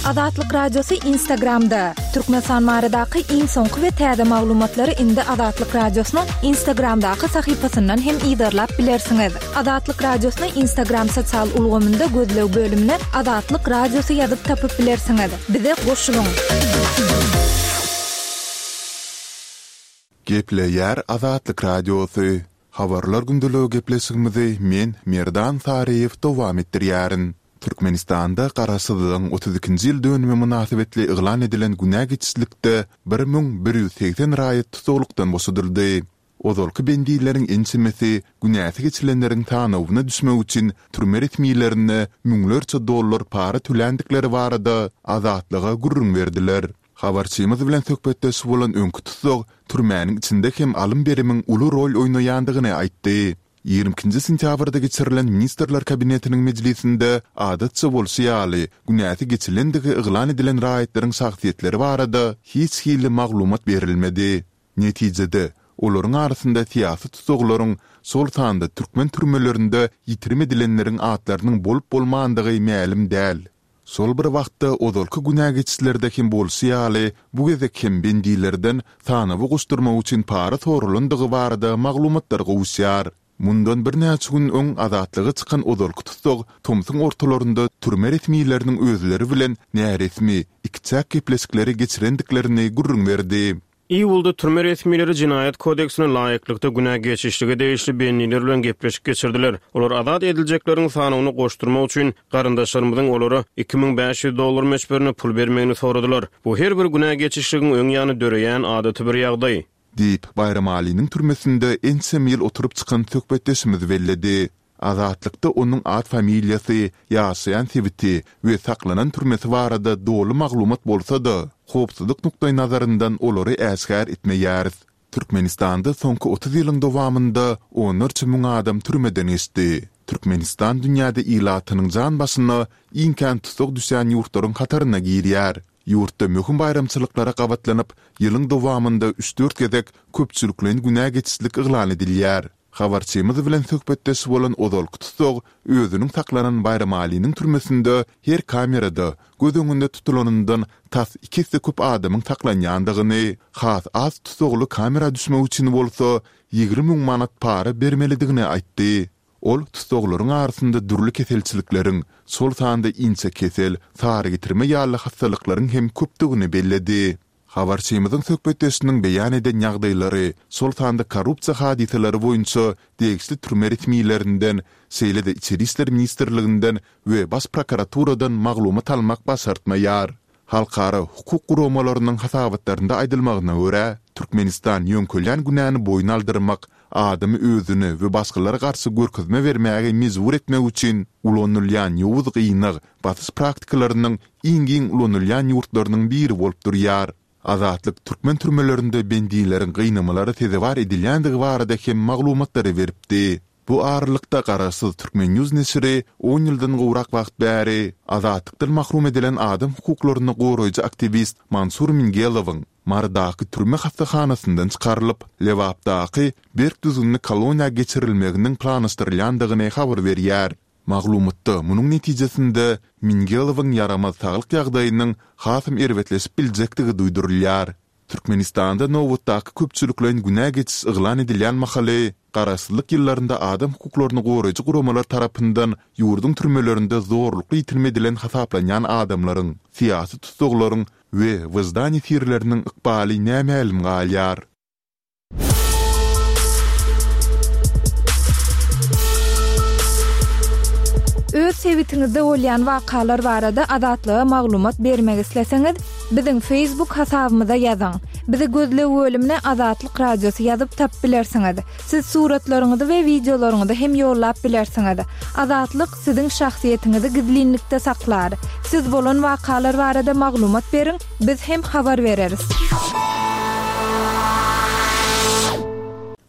Azatlyk Radiosy Instagramda! Türkmenistan baradaky iň soňky we täze maglumatlary indi Azatlyk Radiosynyň Instagramdaky sahypasyndan hem yzarlap bilersiňiz. Azatlyk Radiosyny Instagram sosial ulgamynda gözleg bölümine Azatlyk Radiosy ýazyp tapyp bilersiňiz. Bize goşulyň! Gepleýär Azatlyk Radiosy, Habarlar gündeligi gepleşigimizi men, Merdan Saryýew dowam etdirýärin. Türkmenistanda Garaşsyzlygyň 32-nji ýyl dönümi mynasybetli yglan edilen günä geçişlikde 1180 raýat tussaglykdan boşadyldy. Ozalky bendileriň ençemesi günäsi geçilenleriň sanawyna düşmek üçin türme resmilerine müňlerçe dollar para töländikleri barada Azatlyga gürrüň berdiler. Habarçymyz bilen söhbetdeş bolan öňki tussag türmäniň içinde hem alym-berimiň uly rol oýnaýandygyny aýtdy. 22-nji sentýabrda geçirilen Ministrler Kabinetiniň mejlisinde, adatça bolşy ýaly, günäsi geçilendigi yglan edilen raýatlaryň şahsyýetleri barada hiç hili maglumat berilmedi. Netijede, olaryň arasynda syýasy tussaglaryň, şol sanda türkmen türmelerinde ýitirim edilenleriň atlarynyň bolup-bolmandygy mälim däl. Şol bir wagtda, ozalky günä geçişlerde hem bolşy ýaly, bu gezek hem bendilerden sanawa goşdurmak üçin para soralandygy barada maglumatlar gowuşýar. Mundan birnäçe gün öň azatlyga çykan ozalky tussag tomsuň ortalarynda türme resmileriniň özleri bilen näresmi, ikiçäk gepleşikleri geçirendiklerini gürrüň berdi. Iýulda türme resmileri Jenaýat kodeksine laýyklykda günä geçişlige degişli bendiler bilen gepleşik geçirdiler. Olar azat ediljekleriň sanawyna goşdurmak üçin garyndaşlarymyzyň olara 2500 dollar möçberinde pul bermegini soradylar. Bu her bir günä geçişligiň öň ýany döreýän adaty bir ýagdaý. Diýip, Baýramalynyň türmesinde ençeme ýyl oturyp çykan söhbetdeşimiz belledi. Azatlykda onuň at-familiýasy, ýaşaýan sebiti we saklanan türmesi barada doly maglumat bolsa-da, howpsuzlyk nukdaýnazaryndan olary äşgär etmeýäris. Türkmenistanda soňky 30 ýylyň dowamynda onlarça müň adam türmeden geçdi. Türkmenistan dünýäde ilatynyň jan başyna iň kän tussag düşýän ýurtlaryň hataryna girýär. Ýurtda möhüm baýramçylyklara gabatlanyp, ýylyň dowamynda üç-dört gezek köpçülikleýin günä geçişlik yglan edilýär. Habarçymyz bilen söhbetdeş bolan ozalky tussag özüniň saklanan Baýramalynyň türmesinde her kamerada göz öňünde tutulanyndan tas iki esse köp adamyň saklanýandygyny, has az tussagly kamera düşmek üçin bolsa 20 müň manat para bermelidigini aýtdy. Ol tussaglaryň arasynda dürli keselçilikleriň, şol sanda inçekesel, sarygetirme ýaly hassalyklaryň hem köpdügini belledi. Habarçymyzyň söhbetdeşiniň beýan eden ýagdaýlary, şol sanda korrupsiýa hadysalary boýunça degişli türme resmilerinden, şeýle-de Içeri işler ministrliginden we Baş prokuraturadan maglumat almak başartmaýar. Halkara hukuk guramalarynyň hasabatlarynda aýdylmagyna görä, Türkmenistan ýöňkelýän günäni boýun aldyrmak, adamy özüne we başgalara garşy görkezme bermäge mejbur etmek üçin ulanylýan ýowuz gynag, basyş praktikalarynyň iň giň ulanylýan ýurtlarynyň biri bolup durýar. Azatlyk türkmen türmelerinde bendileriň gynamalara sezewar edilýändigi barada hem maglumatlary beripdi. Bu aralykda garaşsyz Turkmen News neşiri on ýyldan gowrak wagt bäri azatlykdan mahrum edilen adam hukuklaryny goraýjy aktiwist Mansur Mingelowyň Marydaky türme hassahanasyndan çykarylyp, Lebapdaky berk düzgünli koloniýa geçirilmeginiň planlaşdyrylýandygyny habar berýär. Maglumatda munuň netijesinde Mingelowyň ýaramaz saglyk ýagdaýynyň hasam erbetleşip biljekdigi duýdurylýar. Türkmenistanda nobatdaky köpçülikleýin günä geçiş yglan edilýän mahaly, garaşsyzlyk ýyllarynda adam hukuklaryny goraýjy guramalar tarapyndan ýurduň türmelerinde zorlukly ýitirim edilen hasaplanýan adamlaryň, syýasy tussaglaryň we wyždan ýesirleriniň ykbaly nämälim galýar. Öz sebitiňizde bolýan wakalar barada Azatlyga maglumat bermek isleseňiz, biziň Facebook hasabymyza ýazyň. Bizi gözleg bölümine Azatlyk Radiosy ýazyp tapyp bilersiňiz. Siz suratlaryňyzy we wideolaryňyzy hem ýollap bilersiňiz. Azatlyk siziň şahsyýetiňizi gizlinlikde saklar. Siz bolan wakalar barada maglumat beriň, biz hem habar bereris.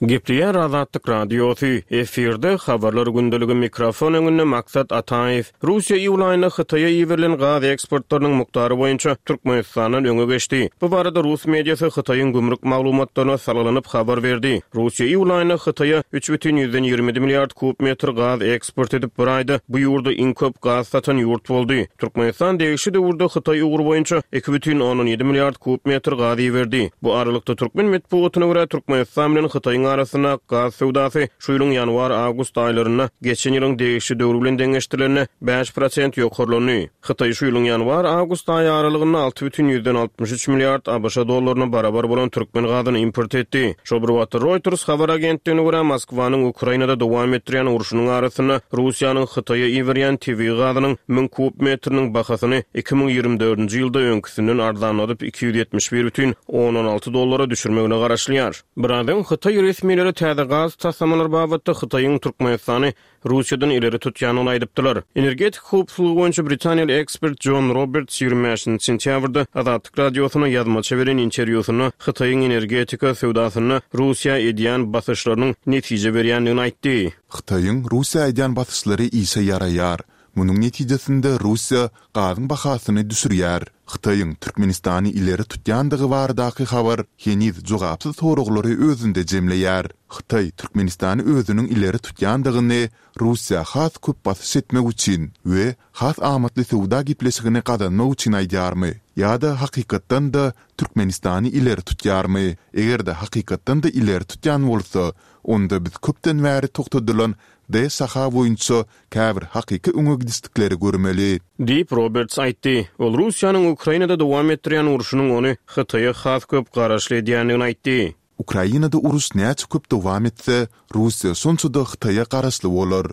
Gepleýär Azatlyk Radiosy, efirde Habarlar gündeligi mikrofon öňünde Maksat Ataýew. Russiýa iýul aýynda Hytaýa iberilen gaz eksportlarynyň mukdary boýunça Türkmenistandan öňe geçdi. Bu barada rus mediasy Hytaýyň gümrük maglumatlaryna salgylanyp habar berdi. Russiýa iýul aýynda Hytaýa 3,27 milliard kub metr gaz eksport edip, bir aýda bu ýurda iň köp gaz satan ýurt boldy. Türkmenistan degişli döwürde Hytaý ugry boýunça 2,7 milliard kub metr gaz iberdi. Bu aralykda, türkmen metbugatyna görä, Türkmenistan bilen Hytaýyň arasynda gaz söwdasy şu ýylyň ýanwar-awgust aýlarynda geçen ýylyň degişli döwri bilen deňeşdirilende 5% ýokarlandy. Hytaý şu ýylyň ýanwar-awgust aýy aralygynda 6,63 milliard ABŞ dollaryna barabar bolan türkmen gazyny import etdi. Şol bir wagtda, Reuters habar agentligine görä, Moskwanyň Ukrainada dowam etdirýän urşunyň arasynda Russiýanyň Hytaýa iberýän tebigy gazynyň 1000 kub metriniň bahasyny 2024-nji ýylda öňküsinden arzanladyp 271,6 dollara düşürmegine garaşylýar. Biraz öň hytaý resmileri täze gaz taslamalary babatda Hytaýyň Türkmenistany Russiýadan ileri tutýandygyny aýdypdylar. Energetika howpsuzlygy boýunça britaniýaly ekspert Jon Roberts 25 sentýabrda Azatlyk Radiosyna ýazmaça beren interwýusynda Hytaýyň energetika söwdasynda Russiýa edýän basyşlarynyň netije berýändigini aýtdy. Hytaýyň Russiýa edýän basyşlary işe ýaraýar. Munuň netijesinde Russiýa gazyň bahasyny düşürýär. Hytaýyň Türkmenistany ileri tutýandygy baradaky habar heniz jogapsyz soraglary özünde jemleýär. Hytaý Türkmenistany özüniň ileri tutýandygyny Russiýa has köp basyş etmek üçin we has amatly söwda gepleşigini gazanmak üçin aýdýarmy? Ýa-da hakykatdan-da Türkmenistany ileri tutýarmy? Eger-de hakykatdan-da ileri tutýan bolsa, onda biz köpden bäri togtadylan D şaha boýunça käbir hakyky öňe gidişlikleri görmeli. Diýip, Roberts aýtdy. Ol Russiýanyň Ukrainada dowam etdirýän urşunyň ony Hytaýa has köp garaşly edýändigini aýtdy. Ukrainada uruş näçe köp dowam etse, Russiýa şonça-da Hytaýa garaşly bolar.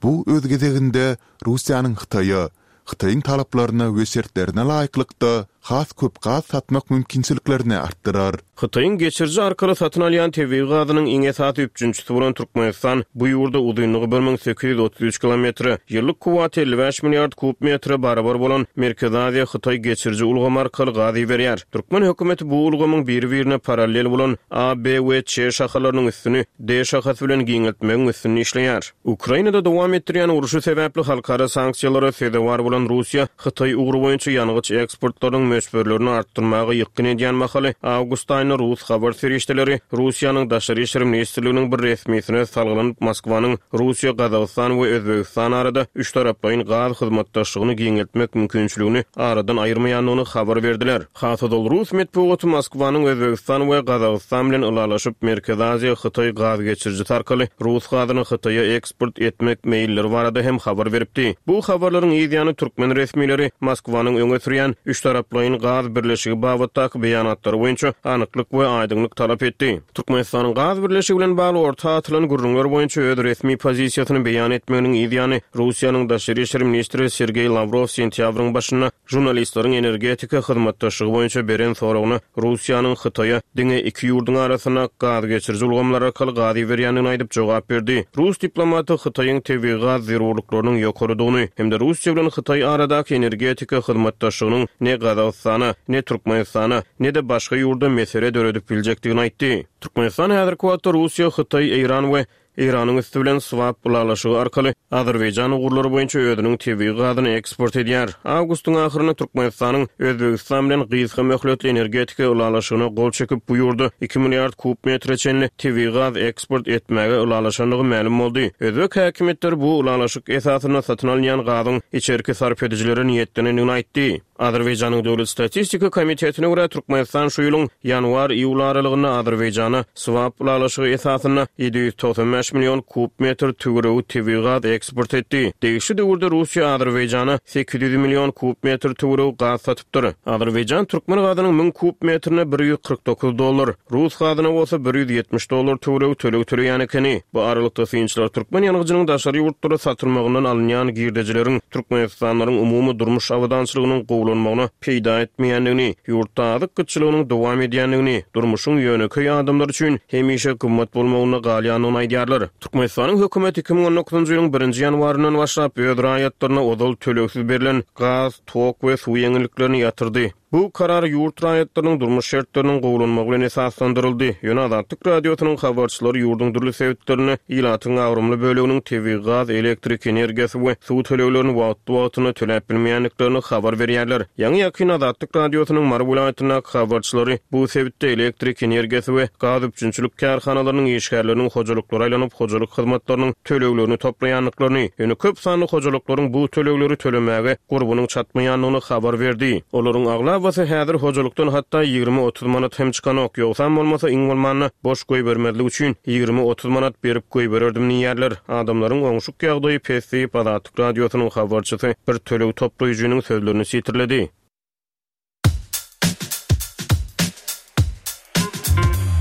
Bu, öz gezeginde, Russiýanyň Hytaýa, Hytaýyň talaplaryna we şertlerine laýyklykda, has köp gaz satmak mümkinçiliklerini artdyrar. Hytaýyň geçiriji arkaly satyn alýan tebigy gazynyň iň esasy üpjünçisi bolan Türkmenistan bu ýurda uzynlygy 1833 kilometre, ýyllyk kuwwaty 55 milliard kub metre barabar bolan Merkezi Aziýa-Hytaý geçiriji ulgamy arkaly gaz iberýär. Türkmen hökümeti bu ulgamyň biri-birine parallel bolan A, B we Ç şahalarynyň üstüni D şahasy bilen giňeltmegiň üstünde işleýär. Ukrainada dowam etdirýän urşy sebäpli halkara sanksiýalara sezewar bolan Russiýa Hytaý ugry boýunça ýangyç eksportlarynyň möçberlerini artdyrmaga ýykgyn edýän mahaly, awgust aýynda rus habar serişdeleri Russiýanyň Daşary işler ministrliginiň bir resmisine salgylanyp, Moskwanyň Russiýa, Gazagystan we Özbegistan arada üçtaraplaýyn gaz hyzmatdaşlygyny giňeltmek mümkinçiligini aradan aýyrmaýandygyny habar berdiler. Has ozal rus metbugaty Moskwanyň Özbegistan we Gazagystan bilen ylalaşyp, Merkezi Aziýa, Hytaý gaz geçirijisi arkaly rus gazyny Hytaýa eksport etmek meýilleri barada hem habar beripdi. Bu habarlaryň yz ýany türkmen resmileri Moskwanyň öňe sürýän üçtaraplaýyn gaz birleşigi babatdaky beýanatlary boýunça anyklyk we aýdyňlyk talap etdi. Türkmenistanyň gaz birleşigi bilen bagly orta atylan gürrüňler boýunça öz resmi pozisiýasyny beýan etmeginiň yz ýany Russiýanyň daşary işler ministri Sergeý Lawrow sentýabryň başynda Žurnalistleriň energetika hyzmatdaşlygy boýunça beren soragyna Russiýanyň Hytaýa diňe iki ýurduň arasynda gaz geçiriji ulgamlar arkaly gaz iberýändigini aýdyp jogap berdi. Rus diplomaty Hytaýyň tebigy gaz zerurlyklarynyň ýokarydygyny hem-de Russiýa bilen Hytaý aradaky energetika hyzmatdaşlygynyň ne Gazagystana, ne Türkmenistana, ne-de başga ýurda mesele döredip biljekdigini aýtdy. Türkmenistan häzirki wagtda Russiýa, Hytaý, Eýran we Eýranyň üsti bilen swap ylalaşygy arkaly Azerbaýjan ugurlary boýunça özüniň tebigy gazyny eksport edýär. Awgustyň ahyrynda Türkmenistanyň Özbegistan bilen gysga möhletli energetika ylalaşygyna gol çekip, bu ýurda iki milliard kub metre çenli tebigy gaz eksport etmäge ylalaşandygy mälim boldy. Özbek häkimiýetleri bu ylalaşyk esasynda satyn alynýan gazyň içerki sarp edijilere niýetlenendigini aýtdy. Azerbaýjanyň Döwlet statistika komitetine görä, Türkmenistan şu ýylyň ýanwar-iýul aralygynda Azerbaýjana swap ylalaşygy esasynda 795 million kub metr töweregi tebigy gaz eksport etdi. Degişli döwürde Russiýa Azerbaýjana 800 million kub metr töweregi gaz satypdyr. Azerbaýjan türkmen gazynyň 1000 kub metrine 149 dollar, Rus gazyna bolsa 170 dollar töweregi töleg töleýän ekeni. Bu aralykda, synçylar türkmen ýangyjynyň daşary ýurtlara satylmagyndan alynýan girdejileriň türkmenistanlylaryň umumy durmuş abadançylygynyň gowulanmagyna peýda etmeýändigini, ýurtda azyk gytçylygynyň dowam edýändigini, durmuşyň ýönekeý adamlar üçin hemişe gymmat bolmagynda galýandygyny aýdýarlar. Türkmenistanyň hökümeti 2019-njy ýylyň birinji ýanwaryndan başlap öz raýatlaryna ozal tölegsiz berlen gaz, tok we suw ýeňilliklerini ýatyrdy. Bu karar ýurt raýatlarynyň durmuş şertleriniň gowulanmagy bilen esaslandyryldy. Ýöne Azatlyk Radiosynyň habarçylary ýurduň dürli sebitlerinde ilatyň agramly böleginiň tebigy gaz, elektrik energiýasy we suw töleglerini wagtly-wagtynda töläp bilmeýändiklerini habar berýärler. Ýaňy-ýakyn Azatlyk Radiosynyň Mary welaýatyndaky habarçylary bu sebitde elektrik energiýasy we gaz üpjünçilik kärhanalarynyň işgärleriniň hojalyklara aýlanyp, hojalyk hyzmatlarynyň töleglerini toplaýandyklaryny, ýöne köp sanly hojalyklaryň bu tölegleri tölemäge gurbunyň çatmaýandygyny habar berdi. Olaryň aglabasy häzir hojalykdan hatda 20-30 manat hem çykanok, ýogsam bolmasa iň bolmanda boş goýbermezlik üçin 20-30 manat berip goýbererdim diýýärler. Adamlaryň oňşuk ýagdaýy pes diýip, Azatlyk Radiosynyň habarçysy bir töleg toplaýjynyň sözlerini sitirledi.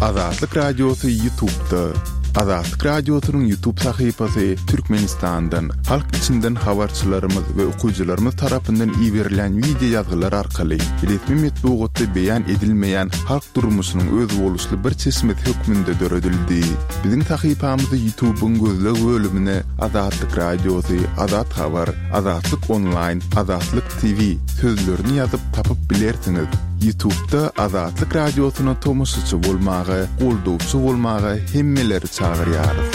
Azatlyk Radiosy YouTube'da. Azatlyk Radiosynyň YouTube sahypasy Türkmenistandan, halk içinden habarçylarymyz we okyjylarymyz tarapyndan iberilen wideo ýazgylar arkaly resmi metbugatda beýan edilmeýän halk durmuşynyň özboluşly bir çeşmesi hökmünde döredildi. Biziň sahypamyzy YouTube'yň gözleg bölümine Azatlyk Radiosy, Azat Habar, Azatlyk Onlaýn, Azatlyk TV sözlerini ýazyp tapyp bilersiňiz. Ýutubda Azatlyk Radiosyna tomaşaçy bolmaga, goldawçy bolmaga hemmeleri çagyrýarys.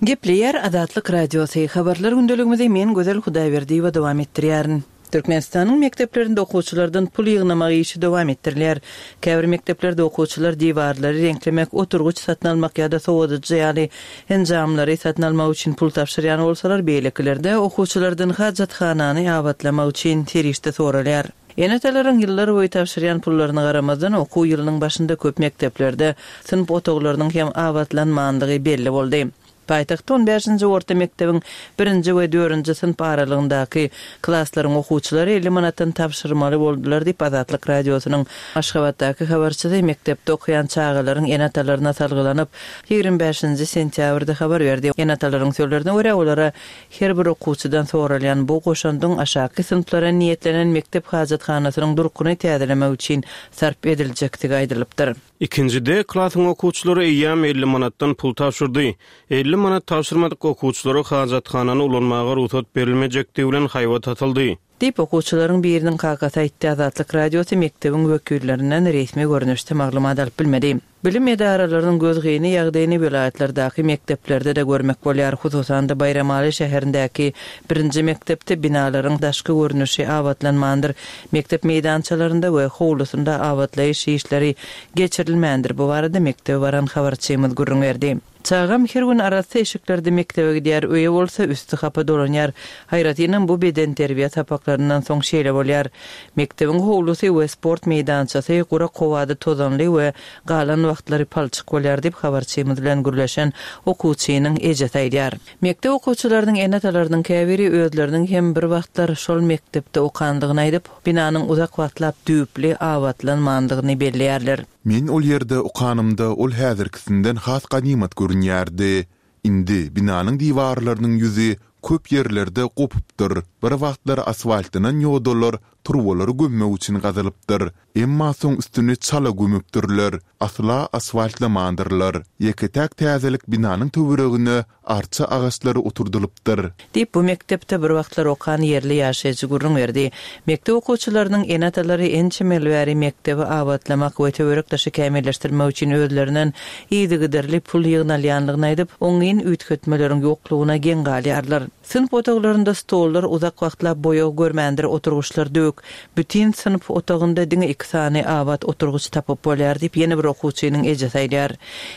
Gepleýär Azatlyk Radiosy, Habarlar gündeligimizi men Gözel Hudaýberdiýewa dowam etdirýärin. Türkmenistanyň mekdeplerinde okuwçylardan pul ýygnamak işi dowam etdirilýär. Käbir mekdeplerde okuwçylar diwarlary reňklemek, oturgyç satyn almak ýa-da sowadyjy ýaly enjamlary satyn almak üçin pul tabşyrýan bolsalar, beýlekilerde okuwçylardan hajathanany abatlamak üçin serişde soralýar. Ene-atalaryň ýyllar boýy tabşyrýan pullaryna garamazdan, okuw ýylynyň başynda köp mekdeplerde synp otaglarynyň hem abatlanmandygy belli boldy. Paýtagtda on bäşinji orta mekdebiň birinji we dördünji synp aralygyndaky klaslaryň okuwçylary 50 manatdan tabşyrmaly boldular diýip, Azatlyk Radiosynyň Aşgabatdaky habarçysy mekdepde okaýan çagalaryň ene-atalaryna salgylanyp, 25 nji sentýabrda habar berdi. Ene-atalaryň sözlerine görä, olara her bir okuwçydan soralýan bu goşandyň aşaky synplara niýetlenen mekdep hajathanasynyň durkuny täzelemek üçin sarp ediljekdigi aýdylypdyr. Ikinji D klasyň okuwçylary eýýäm 50 manatdan pul tabşyrdy. 50 manat tabşyrmadyk okuwçylara hajathanany ulanmaga rugsat berilmejekdigi bilen haýbat atyldy. Diýip, okuwçylaryň biriniň kakasy aýtdy. Azatlyk Radiosy mekdebiň wekillerinden resmi görnüşde maglumat alyp bilmedi. Bilim edaralarynyň gözgyny ýagdaýyny welaýatlardaky mekdeplerde-de görmek bolýar. Hususan-da, Baýramaly şäherindäki birinji mekdepde binalaryň daşky görnüşi abatlanmandyr. Mekdep meýdançalarynda we howlusynda abatlaýyş işleri geçirilmändir. Bu barada mekdebe baran habarçymyz gürrüň berdi. Çagam her gün arassa eşiklerde mekdebe gidýär, öýe bolsa üsti hapa dolanýar. Aýratynam bu bedenterbiýe sapaklaryndan soň şeýle bolýar. Mekdebiň howlusy we sport meýdançasy gurak howada tozanly we galan wagtlary palçyk bolýar diýip, habarçymyz bilen gürleşen okuwçynyň ejesi aýdýar. Mekdep okuwçylarynyň ene-atalarynyň käbiri özleriniň hem bir wagtlar şol mekdepde okandygyny aýdyp, binanyň uzak wagtlap düýpli abatlanmandygyny belleýärler. Men ol ýerde okanymda ol häzirkisinden has ganymat görünýärdi. Indi binanyň diwarlarynyň ýüzi köp ýerlerde gopupdyr, bir wagtlar asfaltlanan ýodalar turbalary gömmek üçin gazylypdyr, emma soň üstüni çala gömüpdirler, asla asfaltlamandyrlar. Ýeke-täk täzelik binanyň töweregine arça agaçlary oturdylypdyr. Diýip, bu mekdepde bir wagtlar okan ýerli ýaşaýjy gürrüň berdi. Mekdep okuwçylarynyň ene-atalary ençeme ýyl bäri mekdebi abatlamak we töwerek-daşy kämilleşdirmek üçin özlerinden yzygiderli pul ýygnalýandygyny aýdyp, oňyn üýtgetmeleriň ýoklugyna geň galýarlar. Synp otaglarynda stollar uzak wagtlap boýag görmändir, oturgyçlar döwük. Bütin synp otagynda diňe iki sany abat oturgyç tapyp bolýar diýip, ýene bir okuwçynyň ejesi aýdýar.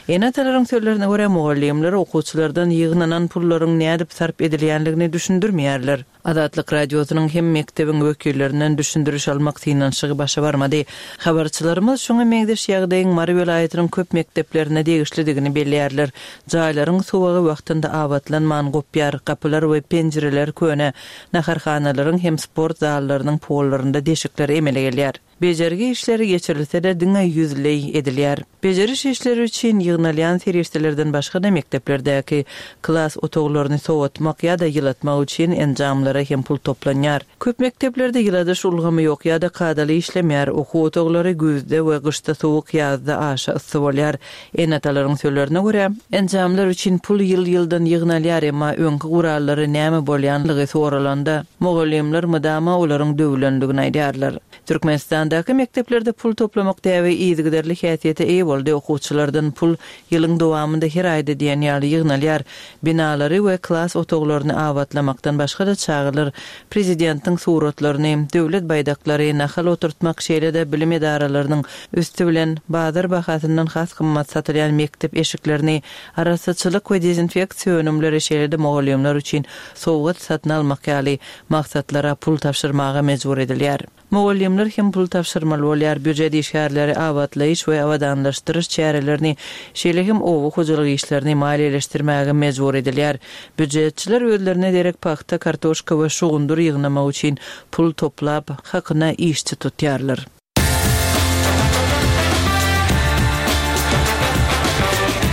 Ene-atalaryň sözlerine görä, mugallymlar okuwçylardan ýygnanan pullaryň nädip sarp edilýändigini düşündirmeýärler. Azatlyk Radiosynyň hem mekdebiň wekillerinden düşündiriş almak synanyşygy başa barmady. Habarçylarymyz şuňa meňzeş ýagdaýyň Mary welaýatynyň köp mekdeplerine degişlidigini belleýärler. Jaýlaryň suwagy wagtynda abatlanman gopýar, gapylar we penjireler köne, naharhanalaryň hem sport zallarynyň pollarynda deşikler emele gelýär. Bejergi işleri geçirilse-de diňe ýüzleý edilýär. Bejeriş işleri üçin ýygnalýan serişdelerden başga-da mekdeplerdäki klas otaglaryny sowatmak ýa-da ýylatmak üçin enjamlara hem pul toplanýar. Köp mekdeplerde ýyladyş ulgamy ýok ýa-da kadaly işlemeýär, okuw otaglary güýzde we gyşda sowuk, ýazda aşa yssy bolýar. Ene-atalaryň sözlerine görä, enjamlar üçin pul ýyl-ýyldan ýygnalýar, emma öňki gurallara näme bolýanlygy soralanda, mugallymlar mydama olaryň döwülendigini aýdýarlar. Türkmenistandaky mekdeplerde pul toplamak däbi yzygiderli häsiýete eýe boldy, okuwçylardan pul ýylyň dowamynda her aýda diýen ýaly ýygnalýar. Binalary we klas otaglaryny abatlamakdan başga-da çagalar prezidentiň suratlaryny, döwlet baýdaklary, nahal oturtmak, şeýle-de bilim edaralarynyň üsti bilen bazar bahasyndan has gymmat satylýan mekdep eşiklerini, arassaçylyk we dezinfeksiýa önümleri, şeýle-de mugallymlar üçin sowgat satyn almak ýaly maksatlara pul tabşyrmaga mejbur edilýär. Mugallymlar hem pul tabşyrmaly bolýar, býujet işgärleri abatlaýyş we abadanlaşdyryş çärelerini, şeýle hem oba hojalyk işlerini maliýeleşdirmäge mejbur edilýär. Býujetçiler özlerine derek pagta, kartoşka we şugundyr ýygnamak üçin pul toplap, hakyna işçi tutýarlar.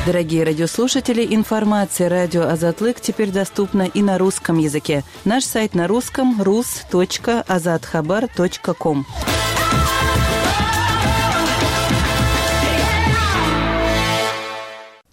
Дорогие радиослушатели, информация радио Азатлык теперь доступна и на русском языке. Наш сайт на русском rus.azathabar.com.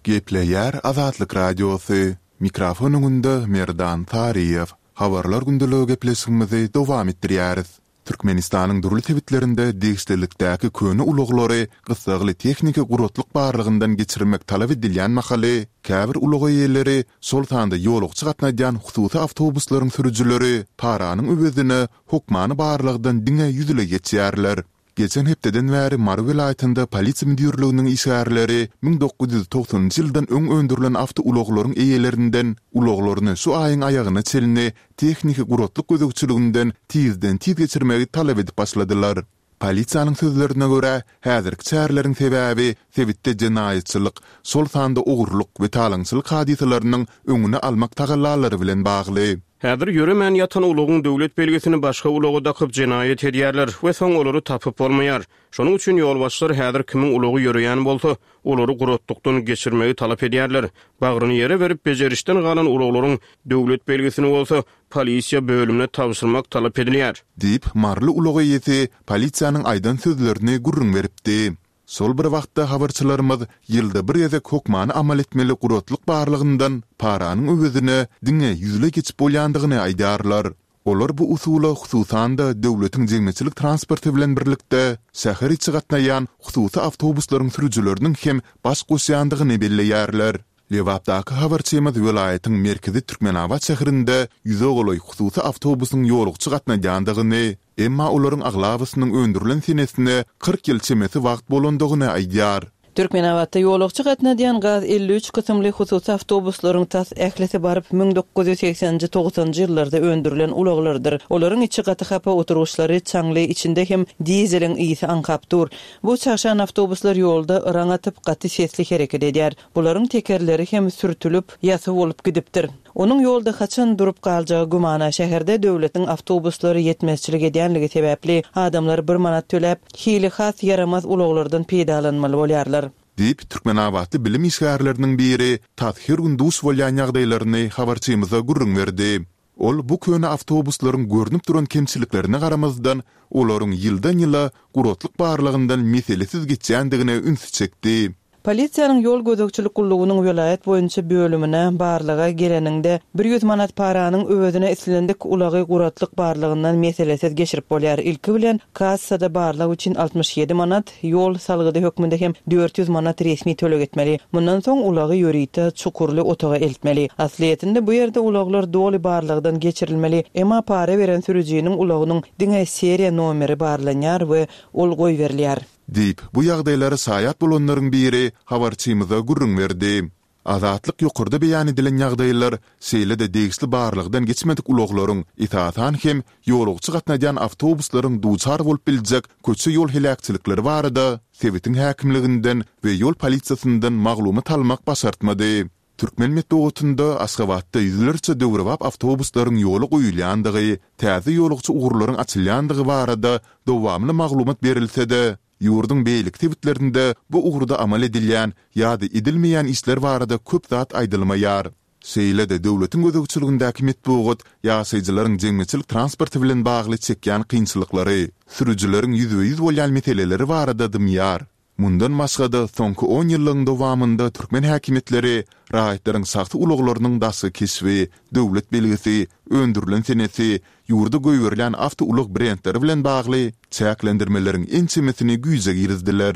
Gepleýär Azatlyk Radiosy, Mikrofon öňünde Merdan Taryýew. Habarlar gündeligi gepleşigimizi dowam etdirýäris. Türkmenistanyň dürli sebitlerinde degişlilikdäki köne ulaglary gyssagly tehniki guratlyk barlagyndan geçirmek talap edilýän mahaly, käbir ulag eýeleri, şol sanda ýolagçy gatnadýan hususy awtobuslaryň sürüjileri paranyň öwezine hokmany barlagdan diňe ýüzleý geçýärler. Geçen hepdeden bäri Mary welaýatynda polisiýa müdirliginiň işgärleri 1990-njy ýyldan öň öndürilen awtoulaglaryň eýelerinden ulaglaryny şu aýyň aýagyna çenli tehniki guratlyk gözegçiliginden tizden-tiz geçirmegi talap edip başladylar. Polisiýanyň sözlerine görä, häzirki çäreleriň sebäbi sebitde jenaýatçylyk, şol sanda ogurlyk we talaňçylyk hadysalarynyň öňüni almak tagallalary bilen bagly. Häzir ýöremän ýatan ulagyň döwlet belgisini başga ulaga dakyp jenaýat edýärler we soň olary tapyp bolmaýar. Şonuň üçin ýolbaşçylar häzir kimiň ulagy ýöreýän bolsa, olary guratlykdan geçirmegi talap edýärler. Bagryny ýere berip bejerişden galan ulaglaryň döwlet belgisini bolsa polisiýa bölümine tabşyrmak talap edilýär. Diýip, maryly ulag eýesi polisiýanyň aýdan sözlerini gürrüň beripdi. Şol bir wagtda habarçylarymyz ýylda bir gezek hökmany amal etmeli guratlyk barlagyndan paranyň öwezine diňe ýüzleý geçip bolýandygyny aýdýarlar. Olar bu usula hususan-da döwletiň jemgyýetçilik transporty bilen birlikde şäher içi gatnaýan hususy awtobuslaryň sürüjileriniň hem baş goşýandygyny belleýärler. Lebapdaky habarçymyz welaýatyň merkezi Türkmenabat şäherinde ýüze golaý hususy awtobusyň ýolagçy gatnadýandygyny, emma olaryň aglabasynyň öndürilen senesine 40 ýyl çemesi wagt bolandygyny aýdýar. Türkmenabatda ýolagçy gatnadýan gaz 53 kysymly hususy awtobuslaryň tas ählisi baryp 1980-nji, togsanjy ýyllarda öndürilen ulaglardyr. Olaryň içi gaty hapa, oturgyçlary çaňly, içinde hem dizeliň ysy aňkap dur. Bu çagşan awtobuslar ýolda yraň atyp, gaty sesli hereket edýär. Bularyň tekerleri hem sürtülip, ýasy bolup gidipdir. Onuň ýolda haçan durup galjagy gümana. Şäherde döwletiň awtobuslary ýetmezçilik edýänligi sebäpli, adamlar bir manat töläp, hili has ýaramaz ulaglardan peýdalanmaly bolýarlar. Diýip, türkmenabatly bilim işgärleriniň biri tas her gün duş bolýan ýagdaýlaryny habarçymyza gürrüň berdi. Ol bu köne awtobuslaryň görnüp duran kemçiliklerine garamazdan, olaryň ýyldan-ýyla guratlyk barlagyndan meselesiz geçýändigine ünsi çekdi. Polisiýanyň ýol gözegçilik gullugynyň welaýat boýunça bölümine barlaga geleniňde, bir ýüz manat paranyň öwezine islendik ulagy guratlyk barlagyndan meselesiz geçirip bolýar. Ilki bilen, kassada barlag üçin 67 manat, ýol salgydy hökmünde hem 400 manat resmi töleg etmeli. Mundan soň ulagy ýörite çukurly otaga eltmeli. Aslyýetinde bu ýerde ulaglar doly barlagdan geçirilmeli, emma para beren sürüjiniň ulagynyň diňe seriýa nomeri barlanýar we ol goýberilýär. Diýip, bu ýagdaýlara şaýat bolanlaryň biri habarçymyza gürrüň berdi. Azatlyk ýokarda beýan edilen ýagdaýlar, şeýle-de degişli barlagdan geçmedik ulaglaryň, esasan hem, ýolagçy gatnadýan awtobuslaryň duçar bolup biljek köçe-ýol heläkçilikleri barada sebitiň häkimliginden we ýol polisiýasyndan maglumat almak başartmady. Türkmen metbugatynda Aşgabatda ýüzlerçe döwrebap awtobuslaryň ýola goýulýandygy, täze ýolagçy ugurlaryň açylýandygy barada dowamly maglumat berilse-de, ýurduň beýleki sebitlerinde bu ugurda amal edilýän ýa-da edilmeýän işler barada köp zat aýdylmaýar. Şeýle-de döwletiň gözegçiligindäki metbugat ýaşaýjylaryň jemgyýetçilik transporty bilen bagly çekýän kynçylyklary, sürüjileriň ýüzbe-ýüz bolýan meseleleri barada dymýar. Mundan başga-da, soňky on ýyllygyň dowamynda türkmen häkimiýetleri raýatlaryň şahsy ulaglarynyň daşky keşbi, döwlet belgisi, öndürilen senesi, ýurda goýberilýän awtoulag brendleri bilen bagly çäklendirmeleriň ençemesini güýje girizdiler.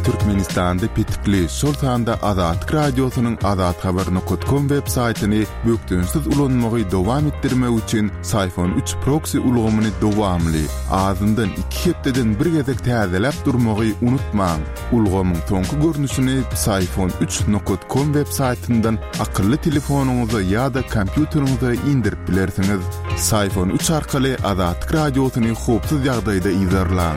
Türkmenistanda petikli, şol sanda Azatlyk Radiosynyň azathabar nokat kom web saýtyny bökdençsiz ulanmagy dowam etdirmek üçin Syfon üç proksi ulgamyny dowamly, azyndan iki hepdeden bir gezek täzeläp durmagy unutmaň. Ulgamyň soňky görnüşini Psiphon üç nokat kom web saýtyndan akylly telefonyňyza ýa-da kompýuteriňize indirip bilersiňiz. Psiphon üç arkaly Azatlyk Radiosyny howpsuz ýagdaýda yzarlaň.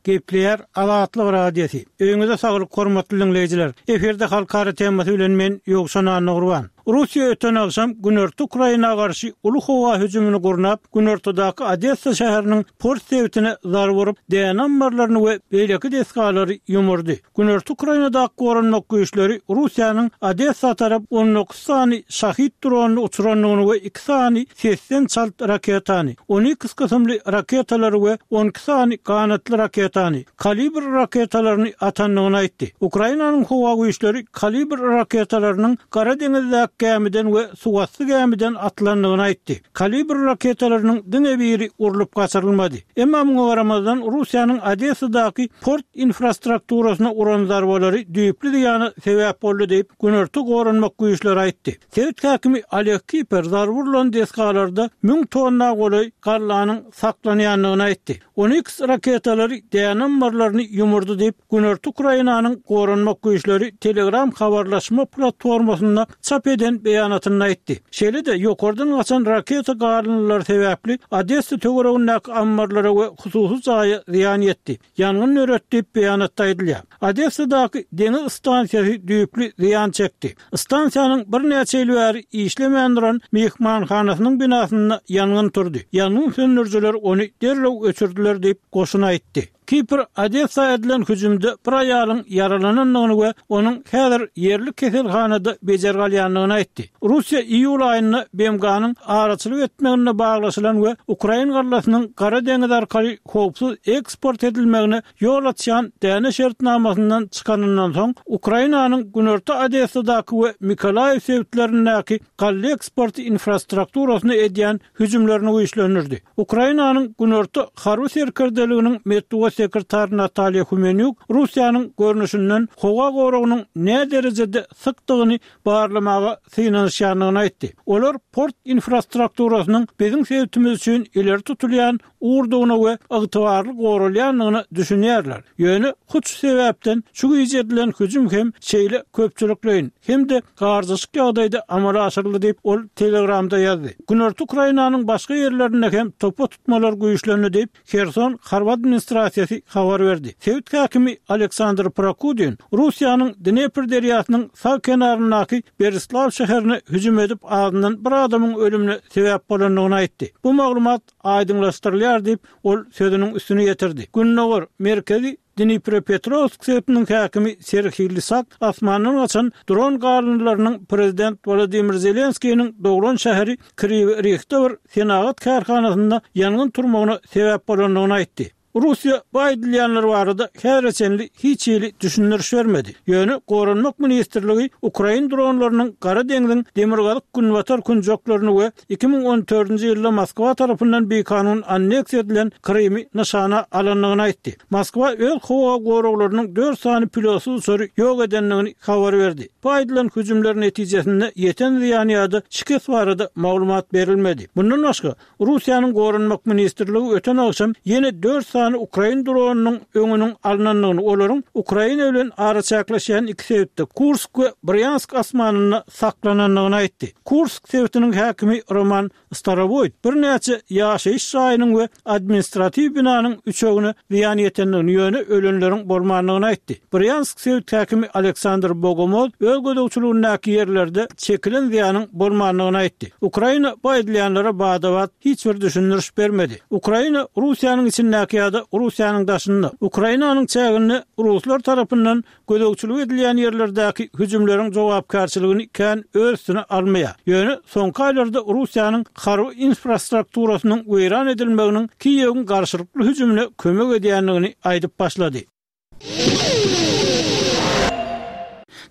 Gepleýär Azatlyk Radiosy. Öýüňize saglyk hormatly diňleýjiler. Efirde halkara temasy bilen men Ýowşan Annagurban. Russiýa öten agşam günorta Ukraina garşy uly howa hüjümini gurnap, günortadaky Odessa şäheriniň port sebitine zarba urup, däne ammarlaryny we beýleki desgalary ýumurdy. Günorta Ukrainadaky goranmak güýçleri Russiýanyň Odessa tarap 19 sany Şahid dronyny uçurandygyny we iki sany sesden çalt raketany, Oniks kysymly raketalary we 12 sany ganatly raketany, Kalibr raketalaryny atandygyny aýtdy. Ukrainanyň howa güýçleri Kalibr raketalarynyň Gara deňizdäki gämiden we suwasty gämiden atylandygyny aýtdy. Kalibr raketalarynyň diňe biri urlup gaçyrylmady. Emma muňa garamazdan, Russiýanyň Odessadaky port infrastrukturasyna uran zarbalary düýpli zyýana sebäp boldy diýip, Günorta goranmak güýçleri aýtdy. Sebit häkimi Oleg Kiper zarba urlan desgalarda müň tonna golaý gallanyň saklanýandygyny aýtdy. Oniks raketalary däne ammarlaryny ýumurdy diýip, Günorta Ukrainanyň Goranmak güýçleri Telegram habarlaşma platformasynda çap eden beýanatynda aýtdy. Şeýle-de, ýokardan gaçan raketa galyndylary sebäpli Odessa töweregindäki ammarlara we hususy jaýa zyýan ýetdi. Ýangyn döretdi diýip, beýanatda aýdylýar. Odessadaky deňiz stansiýasy düýpli zyýan çekdi. Stansiýanyň birnäçe ýyl bäri işlemän duran myhmanhanasynyň binasynda ýangyn turdy. Ýangyn söndürijiler ony derrew öçürdiler diýip, goşun aýtdy. Kipr Odessa edilen hüjümde bir aýalyň ýaralanandygyny we onuň häzir ýerli keselhanada bejergi alýandygyny aýtdy. Russiýa iýul aýynda BMG-niň araçylyk etmeginde baglaşylan we ukrain gallasynyň Gara deňiz arkaly howpsuz eksport edilmegine ýol açýan däne şertnamasyndan çykanyndan soň, Ukrainanyň günorta Odessadaky we Mykolaýiw sebitlerindäki galla eksporty infrastrukturasyna edýän hüjümlerini güýçlendirdi. Ukrainanyň Günorta harby serkerdeliginiň metbugat sekretary Natalýa Humenýuk Russiýanyň görnüşinden howa goragynyň näderejede sykdygyny barlamaga synanyşýandygyny aýtdy. Olar port infrastrukturasynyň biziň sebitimiz üçin ileri tutulýan ugurdygyna we ygtybarly goralýandygyna düşünýärler. Ýöne hut şu sebäpden şu gije edilen hüjüm hem şeýle köpçülikleýin hem-de garjaşyk ýagdaýda amala aşyryldy diýip, ol Telegramda ýazdy. Günorta Ukrainanyň başga ýerlerinde hem topa tutmalar güýçlendi diýip, Herson harby administrasiýasy habar berdi. Sebit häkimi Aleksandr Prokudin Russiýanyň Dnepr derýasynyň sag kenaryndaky Berislaw şäherine hüjüm edip azyndan bir adamyň ölümine sebäp bolandygyny aýtdy. Bu maglumat aýdyňlaşdyrylýar diýip, ol sözüniň üstüni ýetirdi. Gündogar, Merkezi Dniprepetrowsk sebitiniň häkimi Serhiý Lysak asmandan gaçan dron galyndylarynyň prezident Wolodymyr Zelenskiniň doglan şäheri Kriwi Rihde bir senagat kärhanasynda ýangyn turmagyna sebäp bolandygyny aýtdy. Russiýa bu aýdylýanlar barada häzire çenli hiç hili düşündiriş bermedi. Ýöne Goranmak ministrligi ukrain dronlarynyň Gara deňziň demirgazyk-günbatar künjeklerini we 2014-nji ýylda Moskwa tarapyndan bikanun anneksiýa edilen Krymy nyşana alandygyny aýtdy. Moskwa öz howa goraglarynyň dört sany pilotsyz uçary ýok edendigini habar berdi. Bu aýdylan hüjümler netijesinde ýeten zyýan ýa-da şikes barada maglumat berilmedi. Mundan başga, Russiýanyň Goranmak ministrligi öten agşam ýene dört sany. sany ukrain dronynyň öňüniň alnandygyny, olaryň Ukraina bilen araçäkleşýän iki sebitde, Kursk we Brýansk asmanynda saklanandygyny aýtdy. Kursk sebitiniň häkimi Roman Starowoýt birnäçe ýaşaýyş jaýynyň we administratiw binanyň üçegine zyýan ýetendigini, ýöne ölenleriň bolmandygyny aýtdy. Brýansk sebit häkimi Aleksandr Bogomoz öz gözegçiligindäki ýerlerde çekilen zyýanyň bolmandygyny aýtdy. Ukraina bu aýdylýanlara bada-bat hiç bir düşündiriş bermedi. Ukraina Russiýanyň içindäki ýa-da Russiýanyň daşynda, Ukrainanyň çäginde ruslar tarapyndan gözegçilik edilýän ýerlerdäki hüjümleriň jogapkärçiligini kän öz üstüne almaýar. Ýöne soňky aýlarda Russiýanyň harby infrastrukturasynyň weýran edilmeginiň Kiýewiň garşylykly hüjümine kömek edýändigini aýdyp başlady.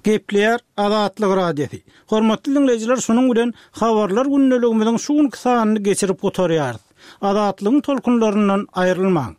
Gepleýär Azatlyk Radiosy. Hormatly diňleýjiler şunuň bilen Habarlar gündeligimiziň şu günki sanyny geçirip gutarýarys. Azatlygyň tolkunlaryndan aýrylmaň!